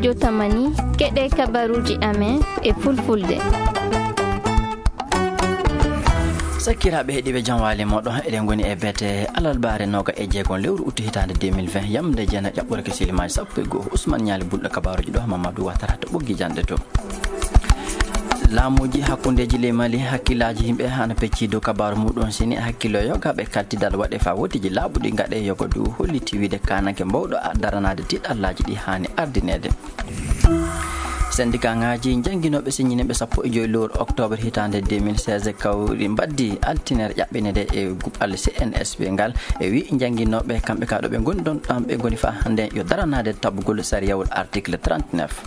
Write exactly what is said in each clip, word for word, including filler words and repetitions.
Yo tamani, keɗe kabaruuji amen e fulfulde. Sakkiraaɓe heɗiiɓe, jam waali mooɗon. Eɗen ngoni e beete alarbaare nooga e jeegom lewru uttu hitaande deux mille vingt, yamde jeena ƴaɓɓore ke silimaaji sappo e goo. Usman Ñaali bulɗo kabaaruuji ɗo, Mamadou Watara to ɓoggi jannde to. Laamuuji hakkundeeji ley Mali, hakkillaaji yimɓe ana peccii dow kabaaru muɗum. Sini hakkillo yogaaɓe kaltidal waɗe faa wotiji laaɓuɗi gaɗe, yogo du holliti wiide kaananke mbawɗo a-, daranaade tiiɗallaaji ɗi haani ardineede. Sendikaaŋaaji jannginooɓe siññinɓe sappo e joy lewru oktoobar hitaande deux mille seize kawri mbaddi altine ƴaɓɓinede e guɓal C N S P ngal, e wi jannginooɓe kamɓe ka ɗo ɓe ngoni ɗon, ɗam ɓe ngoni faa hannde yo daranaade tabugol sariyawol article trente-neuf.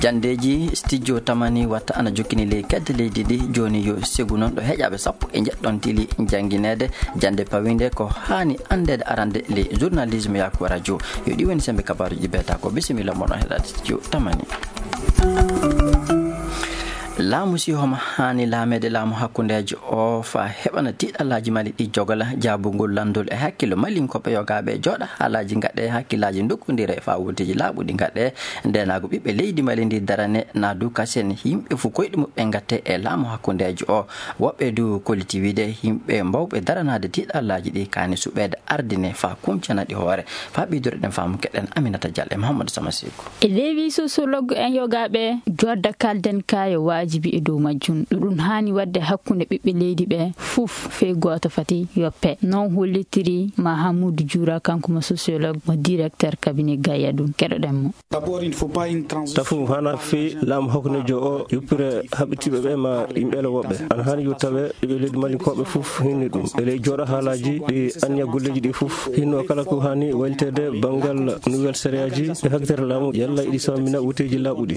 Janndeeji studio tamani watta ana jokkini ley kedde leydi ndi. Jooni yo segu noon ɗo heƴaaɓe sappo e njeɗɗon tili janngineede jannde pawinde ko haani anndeede arande ley journalisme yaako radio. Yo ɗi woni sembe kabaaruuji beeta ko. Bisimilla moɗon heɗaade studio tamani. Laamu si homo haani laameede laamu hakkundeejo o faa heɓana tiiɗallaaji Mali ɗi jogola jaabugol lanndol e hakkillo Malinkooɓe yogaaɓe jooɗa haalaaji gaɗe hakkillaaji ndokkondire faa wotiji laaɓuɗi gaɗe ndeenaagu ɓiɓɓe leydi Mali ndi darane naa du kasen yimɓe fof koyɗe muɓɓe ngatte e laamu hakkundeejo o. Woɓɓe du kolliti wiide yimɓe mbawɓe daranaade tiiɗallaaji ɗi kaani suɓeede ardine faa kuncana ɗi hoore. Faa ɓeydude ɗen faamu keɗen Aminata Diallo e Mahamadou Sama Seku. E leewi sociologue en yogaaɓe jodda kalden ka yo waajibi e dow majjum. Ɗuɗum haani waɗde hakkunde ɓiɓɓe leydi ɓe fof fey gooto fati yoppe. Noon hollitiri Mahamoudou Djoura, kanko mo sociologue, mo directeur cabinet Gayadun. Keɗoɗen mo. Tafu haana fii laamu hakkundeejo o yuppire haɓitiiɓe ɓe ma yimɓe ele woɓɓe. Ana haani yo tawe ɓiɓɓe leydi Malinkooɓe fof hinni ɗum. E ley jooɗo haalaaji ɗi anniya golleeji ɗi fof hinno kala ko haani wayliteede banngal nouvelle sariyaji e hakkitare laamu yalla iɗi sammina woteeji laaɓuɗi.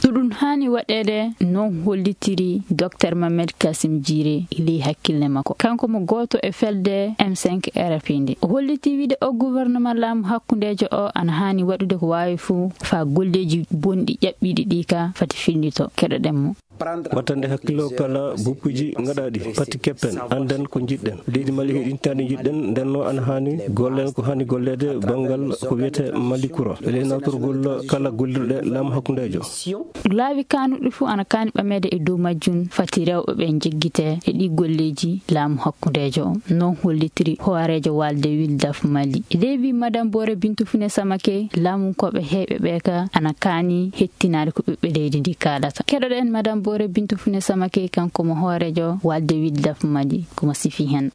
Ɗuɗum haani waɗeede, noon hollitiri Docteur Mohamed Kassim Djiré e ley hakkille makko. Kanko mo gooto e felde M cinq R F I nde. O holliti wiide o gouvernement laamu hakkundeejo o ana haani waɗude ko waawi fof faa golleeji bonɗi ƴaɓɓiiɗi ɗi ka fati fillito. Keɗoɗen mo. Wattande hakkillo kala buppuji ngaɗaaɗi, pati keppen, annden ko njiɗɗen. Leydi Mali heɗintaandi njiɗɗen, nden no ana haani gollen ko haani golleede banngal ko wiyetee Mali Kuro. E ley nawtorgol kala gollirɗe laamu hakkundeejo. Laawi kaanuɗi fof ana kaani ɓameede e dow majjum, fati rewɓe ɓe njeggite e ɗi golleeji laamu hakkundeejo o. Noon hollitiri hooreejo walde Wildaf Mali. E ley wi Madame Bore Bintou Fune Samake, laamunkooɓe heyɓe ɓe ka ana kaani hettinaade ko ɓiɓɓe leydi ndi kaalata. Keɗoɗen Madame Bore Bintou Fune Samake, kanko mo hooreejo walde Wildaf Mali, ko mo sifi hen.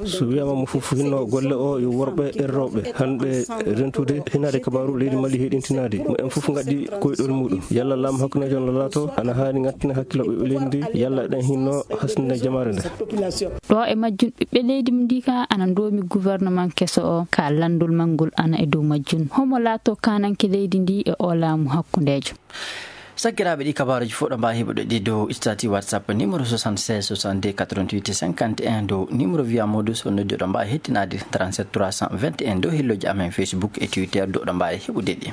So wiyaama mo fof hinno golle o yo worɓe e rewɓe hanɓe rentude hinaade kabaaru leydi Mali heɗintinaade mo en fof ngaddi koyɗol muɗum. Yalla laamu hakkundeejo no laato ana haani ngattina hakkilo ɓiɓɓe leydi ndi, yalla eɗen hinno hasnde jamaare nde. Ɗo e majjum ɓiɓɓe leydi ndi ka ana ndoomi gouvernement keso o ka lanndol mangol ana e dow majjum. Homo laato kaananke leydi ndi e o laamu hakkundeejo. Sakkiraaɓe, ɗi kabaaruuji fof ɗo mbaawi heɓude ɗi dow statut WhatsApp numéro soixante-seize soixante-deux quatre-vingt-huit cinquante et un, dow numéro Via Modus, so noddi ɗo mbaawi hettinaade trente-sept trois cent vingt et un, dow helloji amen Facebook e Twitter, dow ɗo mbaawi heɓude ɗi.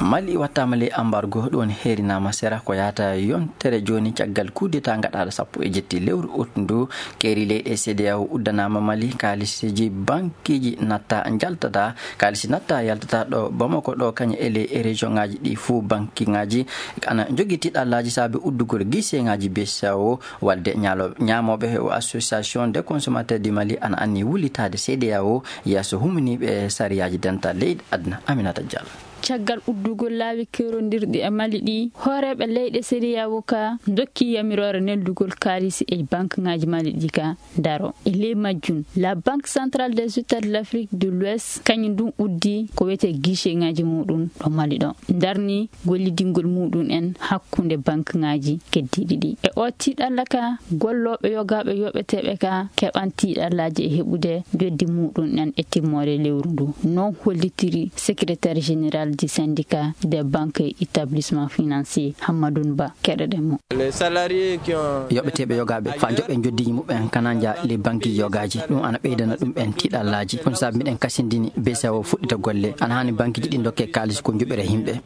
Mali wattaama ley ambargo, ɗum woni heerinaama sera ko yahata yontere jooni caggal coup d'État ngaɗaaɗo sappo e jetti lewru août ndu. Keeri leyɗe C D A O uddanaama Mali, kaalisiji bankiiji natta njaltata, kaalisi natta yaltata ɗo Bamako ɗo, kañum e ley région ŋaaji ɗi fuu banki ŋaaji ana njogii tiiɗallaaji saabe uddugol guichet ŋaaji B C E A O, walde ñaalo-, ñaamooɓe o Association des Consommateurs du Mali ana anni wullitaade C D A O yeeso humniiɓe sariyaaji dental leyɗe aduna. Aminata Diallo. Caggal uddugol laawi keerondirɗi e Mali ɗi, hooreeɓe leyɗe C D A O ka ndokki yamiroore neldugol kaalisi e banque ŋaaji Mali ɗi ka daro. E ley majjum, la Banque Centrale des États de l'Afrique de l'Ouest, kañum ɗum uddi ko wiyetee guichet ŋaaji muɗum ɗo Mali ɗo. Ndarni gollidingol muɗum en hakkunde banque ŋaaji keddiiɗi ɗi. E o tiiɗalla ka, gollooɓe yogaaɓe yoɓeteeɓe ka keɓan tiiɗallaaji e heɓude joddi muɗum en e timmoode lewru ndu. Noon hollitiri secrétaire général parti syndicat des banques et établissements financiers, Hammadoun Ba. Keɗoɗen mo. Yoɓeteeɓe yogaaɓe faa njoɓɓe njoddiiji muɓɓen kana nja les banques yogaaji. Ɗum ana ɓeydana ɗum ɓen tiiɗallaaji. Ɗum saabi miɗen kasindini B C E A O fuɗɗita golle. Ana haani banqueji ɗi ndokke kaalis ko njoɓira yimɓe.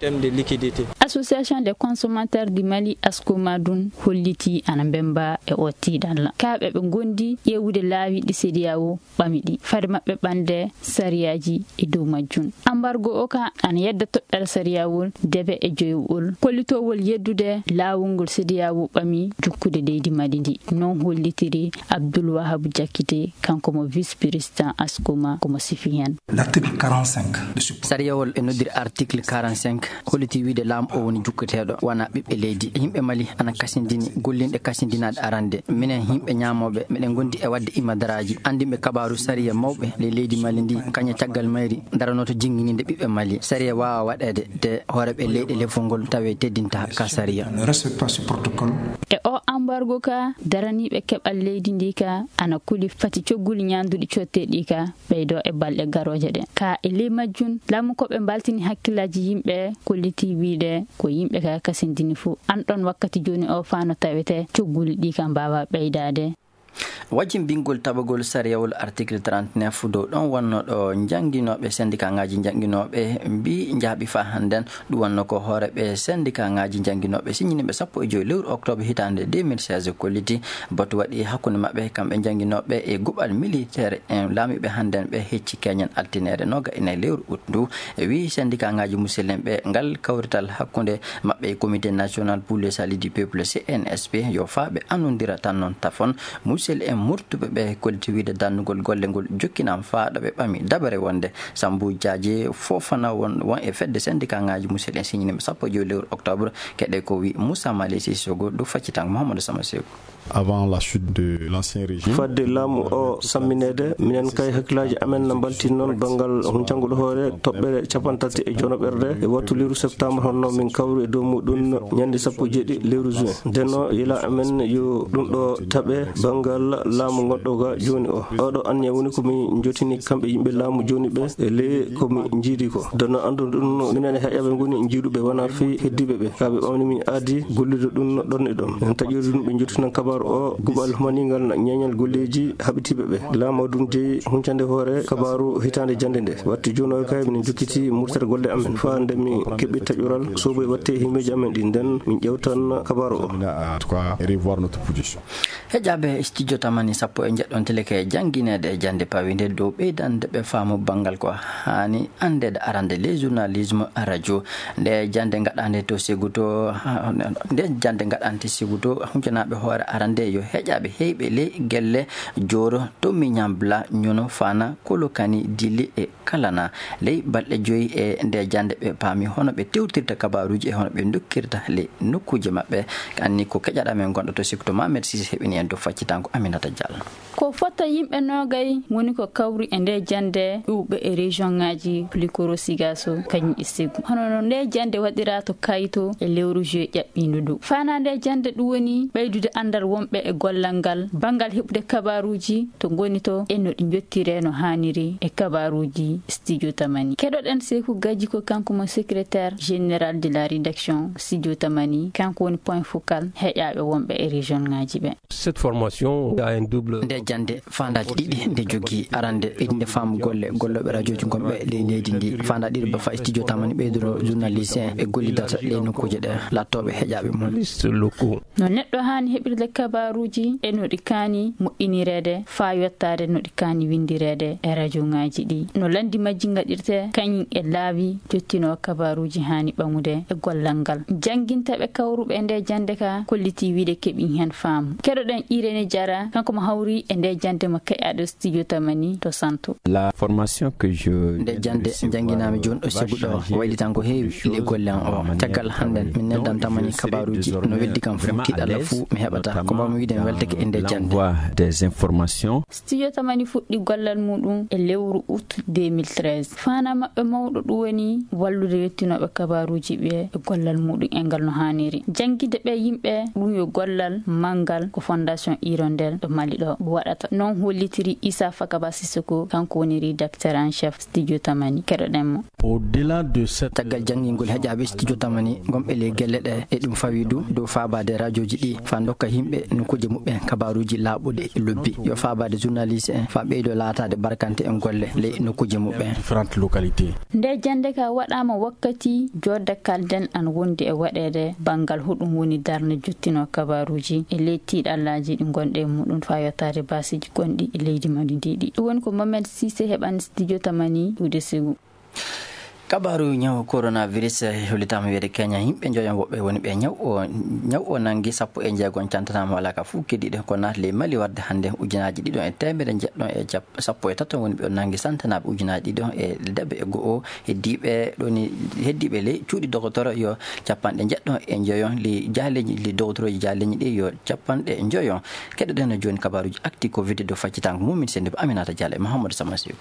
Association des consommateurs du Mali, Ascoma, ɗum holliti ana mbemba e o tiiɗalla. Kaaɓe ɓe ngondi ƴeewude laawi ɗi C D A O ɓami ɗi fade maɓɓe ɓande sariyaaji e dow majjum. Ambargo o ka ana yedda toɗɗal sariyawol debe e joyowol kollitowol yeddude laawol ngol C D A O ɓami jukkude leydi Mali ndi. Non hollitiri Abdoul Wahab Diakité, kanko mo vice-président Ascoma, ko mo sifi hen. L'article quarante-cinq de ce Sariyawol e noddiri article quarante-cinq holliti wiide laamu o woni jukketeeɗo, wona ɓiɓɓe leydi. Yimɓe Mali ana kasindini gollinɗe kasindinaaɗe arande. Minen yimɓe ñaamooɓe, meɗen ngondi e waɗde imadaraaji, anndinɓe kabaaru sariya mawɓe ley leydi Mali ndi, kañe caggal mayri daranoto jinnginiinde ɓiɓɓe Mali. Sariya waawa waɗeede, de hooreeɓe leyɗe lefol ngol tawe teddinta ka sariya. Ne respecte pas ce protocole. E o ambargo ka, daraniiɓe keɓal leydi ndi ka ana kuli fati cogguli ñaanduɗi cotteeɗi ka ɓeydo e balɗe garooje ɗe. Ka e ley majjum, laamu ko ɓe mbaltini hakkillaaji yimɓe, kolliti wiide ko yimɓe ka kasindini fuu. An ɗon wakkati jooni o faa no tawete cogguli ɗi ka mbaawa ɓeydaade. Wajin bingol tabagol sariyawol article trente-neuf dow ɗon wonno ɗo njannginooɓe, sendikaaŋaaji njannginooɓe mbii njaaɓi faa hannden. Ɗum wonno ko hooreeɓe sendikaaŋaaji njannginooɓe siññiniiɓe sappo e joy lewru oktoobre hitaande deux mille seize kolliti. Batu waɗi hakkunde maɓɓe kamɓe njannginooɓe e guɓal militeer en laamiiɓe hannden ɓe hecci keñen altineere nooga e nayi lewru ut ndu. E wii sendikaaŋaaji musidɓe ɓe ngal kawrital hakkunde maɓɓe e Comité National pour le Salut du Peuple, C N S P, yo faa ɓe annondira tan noon tafon. Musidɓe en murtuɓe ɓe kolliti wiide dannugol golle ngol jokkinama faa ɗo ɓe ɓami dabare wonde Sambuu Jaaje Foofana won, won e fedde sendikaaŋaaji musidɓe en siññiniiɓe sappo e joy lewru oktoobre. Keɗe ko wi Moussa Mali Sissoko, ɗum faccitango Mouhamadou Sama Seeku. Avant la chute de l'ancien régime. Fadde laamu o sammineede, minen kay hakkillaaji amen na mbalti noon banngal huncangol hoore toɓɓere capanɗe tati e jonoɓerde e wattu lewru septembre, honno min kawri e dow muɗum ñande sappo e jeeɗiɗi lewru juin. Ndenno yila amen yo ɗum ɗo taɓe banngal laamu ngonɗo ga jooni o. Oɗo anniya woni ko min jotini kamɓe yimɓe laamu jooni ɓe e ley ko min njiidi ko. Ndenno anndu ɗum minen e heƴaɓe ngoni njiiduɓe wona fii heddiiɓe ɓe. Ka ɓe ɓamni min aadi gollude ɗum ɗon e ɗon. En taƴori ɗum ɓe jottinan kabaaru o guɓal humaningal na ñeeñal golleeji haɓitiiɓe ɓe. Laamu ɗum jeyi huncande hoore kabaaru hitaande jannde nde. Watti jooni o kay minen jokkiti murtere golle amen. Faa nde min keɓi taƴoral sobo e watte himmeeji amen ɗi nden min ƴewtan kabaaru o. En tout cas, revoir notre position. Heƴaaɓe studio Tamani sappo e njeɗɗo on tilike janngineede e jannde pawinde dow ɓeydande ɓe faamu banngal ko haani anndeede arande le journalisme radio. Nde jannde ngaɗande to Sékou to, nde jannde ngaɗante Sékou to, huncanaaɓe hoore arande yo heƴaaɓe heyɓe ley gelle Jooro to Miñambla, Ñono, Fana, Kolokani, Dili e Kalana. Ley balɗe joyi e nde jannde ɓe paami hono ɓe tewtirta kabaaruuji e hono ɓe ndokkirta ley nokkuuje maɓɓe. Anni ko keƴaɗa men gonɗo to Sékou to Mamed Sise heɓini en dow faccitango Aminata Diallo. Ko fota yimɓe noogay woni ko kawri e nde jannde ƴuwɓe e région ŋaaji Plikoro, Sigaso, kañum e Sékou. Hono no nde jannde waɗira to Kayto e lewru juillet ƴaɓɓiindu ndu. Fana nde jannde ɗum woni ɓeydude anndal wonɓe e gollal ngal, banngal heɓude kabaaruuji to ngoni to e no ɗi njottire no haaniri e kabaaruuji Studio Tamani. Keɗoɗen Sékou Gadji ko kanko mo secrétaire général de la rédaction Studio Tamani, kanko woni point focal heƴaaɓe wonɓe e région ŋaaji ɓe. Cette formation a un double. Nde jannde faandaaji ɗiɗi nde jogii. Arande, ɓeydinde faamu golle gollooɓe rajooji gonɓe ley leydi ndi. Faandaa ɗiɗo ba fa Studio Tamani ɓeydoro journaliste en ɓe gollidata ley nokkuuje ɗe laattooɓe heƴaaɓe mum. Journalistes locaux. No neɗɗo haani heɓirde kabaaruuji e no ɗi kaani moƴƴinireede faa yottaade no ɗi kaani winndireede e rajo ŋaaji ɗi. No lanndi majji ngaɗirte kañum e laawi jottinoo kabaaruuji haani ɓaŋude e gollal ngal. Jannginteeɓe kawruɓe e nde jannde ka kolliti wiide keɓi heen faamu. Keɗoɗen Irene Diarra, kanko mo hawri e nde jannde mo keƴaaɗo Studio Tamani to Santo. La formation que je Nde jannde njannginaami jooni ɗo Sékou ɗo, waylitan ko heewi ley golle am o. Caggal hannden, min neldan Tamani kabaaruuji no weddi kam fuu, tiiɗalla fuu mi heɓata. Ko mbaawmi wiide, mi weltake e nde jannde. Des informations. Studio Tamani fuɗɗi gollal muɗum e lewru août deux mille treize. Faanaa maɓɓe mawɗo ɗum woni wallude yettinooɓe kabaaruuji ɓe e gollal muɗum e ngal no haaniri. Jannginde ɓee yimɓe ɗum yo gollal manngal ko Fondation Hirondelle ɗo Mali ɗo waɗata. Noon hollitiri Issa Fakaba Sissoko, kanko woni rédacteur en chef Studio Tamani. Keɗoɗen mo. Au-delà de cette Caggal janngingol heƴaaɓe Studio Tamani gonɓe ley gelle ɗe, e ɗum fawi du dow faabaade rajooji ɗi faa ndokka yimɓe nokkuuje muɓɓen kabaaruuji laaɓuɗi e lobbi. Yo faabaade journaliste en faa ɓeydo laataade barkante en golle ley nokkuuje muɓɓen. Différentes localités. Nde jannde ka waɗaama wakkati joodde kalden an wondi e waɗeede banngal huɗum woni darnde jottino kabaaruuji e ley tiiɗallaaji ɗi ngonɗe e muɗum faa yottaade baasiiji gonɗi e leydi Mali ndi ɗi. Ɗum woni ko Mohamed Cissé heɓani Studio Tamani ɗuuɗe sigu. Kabaaru ñaw coronavirus, eh, hollitaama wiyeede Kenya, yimɓe njoyon woɓɓe woni ɓe ñaw o, ñaw o nanngi, sappo e jeegom cantanaama alaa ka fof keddiiɗo ko naati ley Mali warde hannde. Ujunaaji ɗiɗo e teemedde njeɗɗo e cap-, sappo e tato woni ɓe o nanngi, santanaaɓe ujunaaji ɗiɗo e debe e go'o, heddiiɓe ɗoni, heddiiɓe ley cuuɗi dogotoro yo capanɗe njeɗɗo e njoyon, ley jaaleeji, ley dogotorooji jaaleeji ɗi yo capanɗe njoyon. Keɗoɗen no jooni kabaaruuji actu covid dow faccitaango mum min senndiiɓe Aminata Diallo e Mahamadou Sama Seku.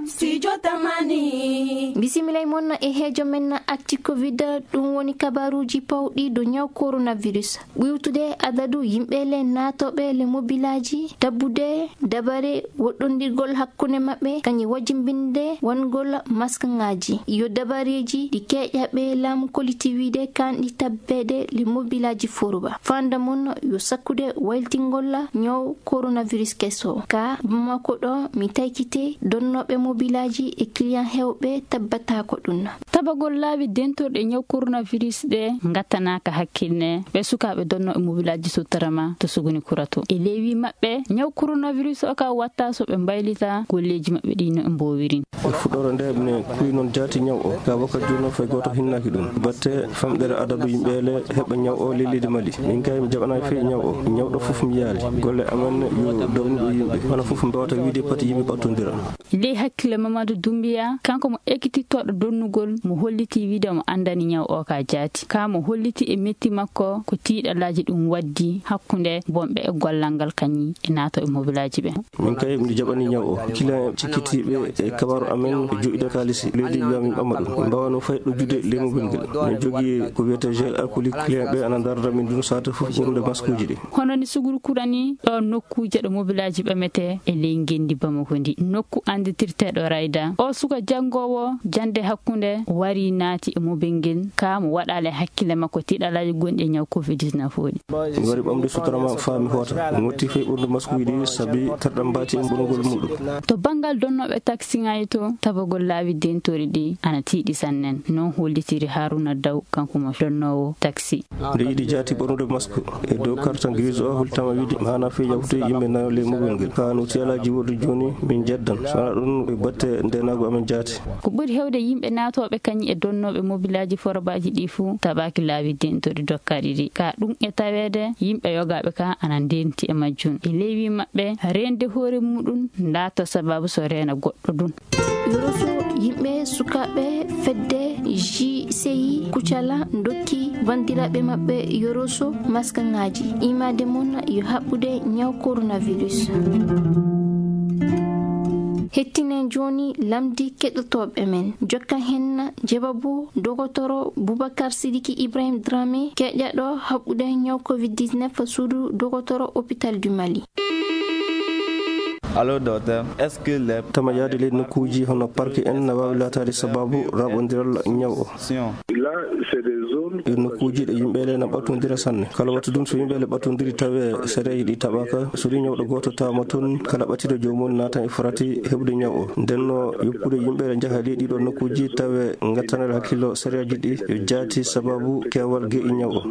Studio Tamani. Bisimilla e mon e heejo men actu covid, ɗum woni kabaaruuji pawɗi dow ñaw coronavirus. Ɓuytude adadu yimɓe le naatooɓe le mobilaaji, tabbude dabare woɗɗondirgol hakkunde maɓɓe, kañum wajimbinde wangol maskŋaaji. Yo dabareeji ɗi keeƴaaɓe laamu kolliti wiide kanɗi tabbeede le mobilaaji foruba. Fanda mon yo sakkude waylitingol ñaw coronavirus keso. Ka Bamako ɗo mi taykite donnooɓe mobilaaji e client heewɓe tabbataako ɗum. Tabagol laabi dentorɗe ñaw coronavirus ɗe ngattanaaka hakkille ɓe sukaaɓe donnooɓe mobilaaji suttarama to Suguni Kurato. E ley wii maɓɓe, ñaw coronavirus o ka watta so ɓe mbaylita golleeji maɓɓe ɗi no ɓe mboowiri. E fuɗɗoore nde, mi kuwi noon jaati ñaw o. Ka wakkati jooni noon fay gooto hinnaaki ɗum. Batte famɗere adadu yimɓe le heɓa ñaw o ley leydi Mali. Min kay mi jaɓanaaki fey ñaw o. Ñawɗo fof mi yaali. Golle amen yo dawnuɗo yimɓe. Hono fof mbawata wiide pati yimɓe ɓattondira. Ley hakkille Mamadou Doumbia, kanko mo ekitittooɗo donnugol, mo holliti wiide mo anndani ñaw o ka jaati. Ka mo holliti e metti makko ko tiiɗalaaji ɗum waddi hakkunde bonɓe e gollal ngal kañi e naato e mobilaaji ɓe. Min kay, mi jaɓani ñaw o. Client en cikkitiiɓe e kabaaru amen ɓe joƴƴida kaalisi. Leydi wiya min ɓamma ɗum. Min mbaawano fay ɗo juude ley mobel ngel. Min jogii ko wiyetee gel alcoolique. Client ɓe ana ndarda min ɗum saate fof ɓornude maskuuji ɗi. Hono ni Suguni Kura ni, ɗo nokkuuje ɗo mobilaaji ɓametee e ley ngenndi Bamako ndi. Nokku annditirteeɗo Rayda. O suka janngoowo jannde hakkunde wari naati e mobel ngel. Ka mo waɗaale hakkille makko tiiɗalaaji gonɗi e ñaw covid dix-neuf o ɗi. Mi wari ɓamde sutarama faa mi hoota. Mi motti fey ɓornude maskuuji ɗi sabi terɗam mbaati e ɓornugol muɗum. To banngal donnooɓe taksiŋaaji to, tabagol laabi dentori ɗi ana tiiɗi sanne. Noon hollitiri Haruna Daw, kanko mo donnoowo taksi. Nde yiɗi jaati ɓornude masku e dow karta grise o, holtama wiide maana fey yawtude yimɓe nayo ley mobel ngel. Ka no tiyalaaji wordi jooni min jeddan. So wonaa ɗum e batte ndenaagu amen jaati. Ko ɓuri heewde yimɓe naatooɓe kañi e donnooɓe mobilaaji forobaaji ɗi fuu taɓaaki laabi dentori dokkaaɗi ɗi. Ka ɗum e taweede yimɓe yogaaɓe ka ana ndenti e majjum. E ley wii maɓɓe, reende hoore muɗum laata sababu so reena goɗɗo ɗum. Yoroso yimɓe sukaaɓe fedde J C I Kucala ndokki banndiraaɓe maɓɓe Yoroso maskaŋaaji. Imaade mon yo haɓɓude ñaw coronavirus. Hettinen jooni lamndi keɗotooɓe men. Jokkan hen jebabu dogotoro Boubacar Sidiki Ibrahim Dramé, keƴaɗo haɓɓude ñaw covid dix-neuf suudu dogotoro hôpital du Mali. Allô, docteur, est-ce que les Tama yaade ley nokkuuji hono parc en na waawi laataade sababu raɓondiral ñaw o? Là, c'est des zones E nokkuuji ɗe yimɓe le na ɓattondira sanne. Kala wattu ɗum so yimɓe le ɓattondiri tawe sereeji ɗi taɓaka, so ɗi ñawɗo gooto tawama toon, kala ɓattiɗo joomum naatan e farati heɓude ñaw o. Nden no yoppude yimɓe le njaha ley ɗiɗo nokkuuji tawe ngattanere hakkillo sereeji ɗi yo jaati sababu keewal ge'i ñaw o.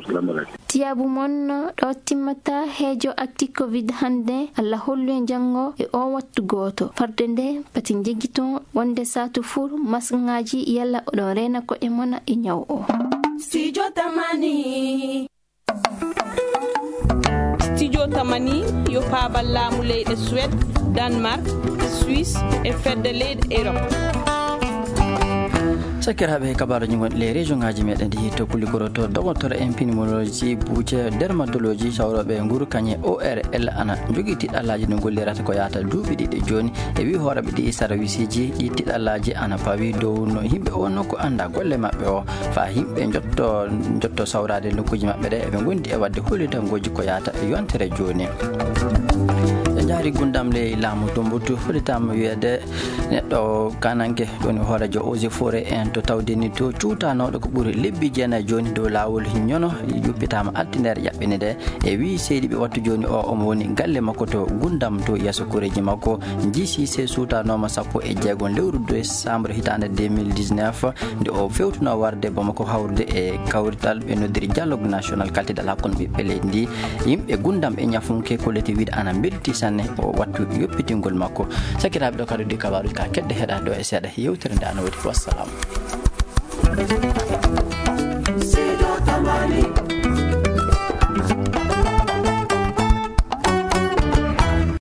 Tiyaabu mon ɗo timmata heejo actu covid hannde. Allah hollu en janngo e o wattu gooto. Farde nde pati njeggiton wonde saatu fur masŋaaji yalla oɗon reena ko'e mon e ñaw o. Studio Tamani. Studio Tamani yo paabal laamu leyɗe Suède, Danemark, Suisse e fedde leyɗe Europe. Sakiraaɓe, kabaaruji gonɗi les région ngaji meɗen ɗi to kuligoroto dogotoro en pneumologie buuce dermatologie sawroɓe nguru kañe O R L ana jogii tiɗɗallaaji no gollirata ko yahata duuɓi ɗiɗi jooni. E wi hooreɓe ɗi sarwisiji ɗi tiɗɗallaaji ana pawi dow no yimɓe o nokku anda golle maɓɓe o fa yimɓe jotto jotto sawrade nokkuji maɓɓe ɗe eɓe gondi e wadde hollitangoji ko yahata e yontere jooni. E jaari gundam ley laamu Tumbutu hollitama wiyede neɗɗo kananke woni hoorejo eaux et forêt en to tawdeni to cuutanoɗo ko ɓuri lebbi jeenayi jooni dow laawol ñono yuppitama altindere ƴaɓɓini nde. E wi seydi ɓe wattu jooni o omo woni galle makko to gundam to yeeso koreji makko. Jisise suutanoma sappo e jeegom lewru décembre hitande deux mille dix-neuf nde o fewtuno warde bamako hawrude e kawrital ɓe noddiri dialogue national kaltidal hakkunde ɓiɓɓe leydi ndi. Yimɓe gundam e ñafunke kolliti wiide ana belti sanne o wattu yoppitingol makko. Sakiraaɓe, ɗo kadi ɗi kabaaruji ka kedde heɗa ɗo e seeɗa yewtere nde ana wodi. Wassalam.